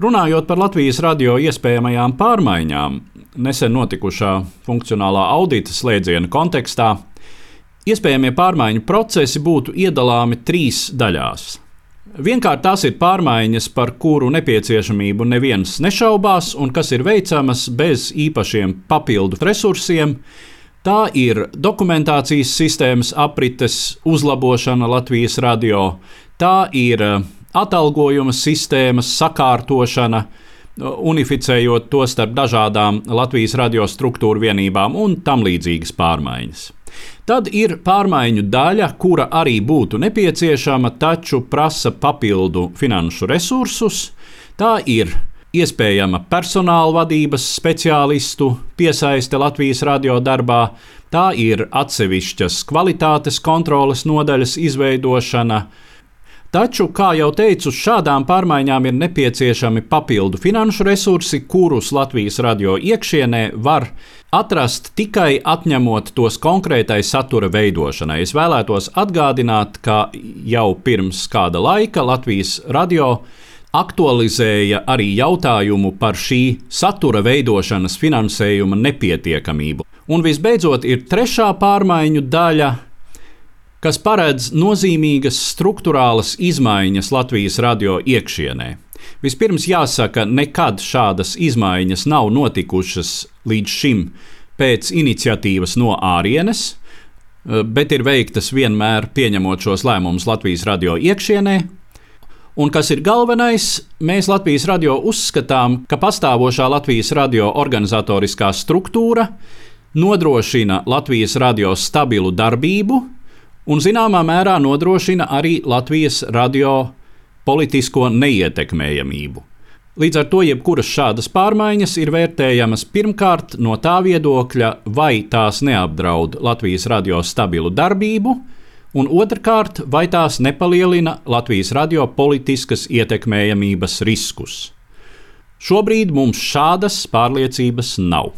Runājot par Latvijas radio iespējamajām pārmaiņām, nesen notikušā funkcionālā audita slēdziena kontekstā, iespējamie pārmaiņu procesi būtu iedalāmi 3 daļās. Vienkārt tās ir pārmaiņas, par kuru nepieciešamību neviens nešaubās un kas ir veicamas bez īpašiem papildu resursiem. Tā ir dokumentācijas sistēmas aprites uzlabošana Latvijas radio, tā ir atalgojuma sistēmas sakārtošana, unificējot to starp dažādām Latvijas radio struktūru vienībām un tam līdzīgas pārmaiņas. Tad ir pārmaiņu daļa, kura arī būtu nepieciešama, taču prasa papildu finanšu resursus. Tā ir iespējama personāla vadības speciālistu piesaiste Latvijas radio darbā, tā ir atsevišķas kvalitātes kontroles nodaļas izveidošana. Taču, kā jau teicu, šādām pārmaiņām ir nepieciešami papildu finanšu resursi, kurus Latvijas radio iekšienē var atrast tikai atņemot tos konkrētai satura veidošanai. Es vēlētos atgādināt, ka jau pirms kāda laika Latvijas radio aktualizēja arī jautājumu par šī satura veidošanas finansējuma nepietiekamību. Un visbeidzot ir 3. pārmaiņu daļa, kas paredz nozīmīgas struktūrālas izmaiņas Latvijas radio iekšienē. Vispirms jāsaka, nekad šādas izmaiņas nav notikušas līdz šim pēc iniciatīvas no ārienes, bet ir veiktas vienmēr pieņemot šos lēmumus Latvijas radio iekšienē. Un kas ir galvenais, mēs Latvijas radio uzskatām, ka pastāvošā Latvijas radio organizatoriskā struktūra nodrošina Latvijas radio stabilu darbību un zināmā mērā nodrošina arī Latvijas radio politisko neietekmējamību. Līdz ar to jebkuras šādas pārmaiņas ir vērtējamas pirmkārt no tā viedokļa, vai tās neapdraud Latvijas radio stabilu darbību, un otrkārt, vai tās nepalielina Latvijas radio politiskas ietekmējamības riskus. Šobrīd mums šādas pārliecības nav.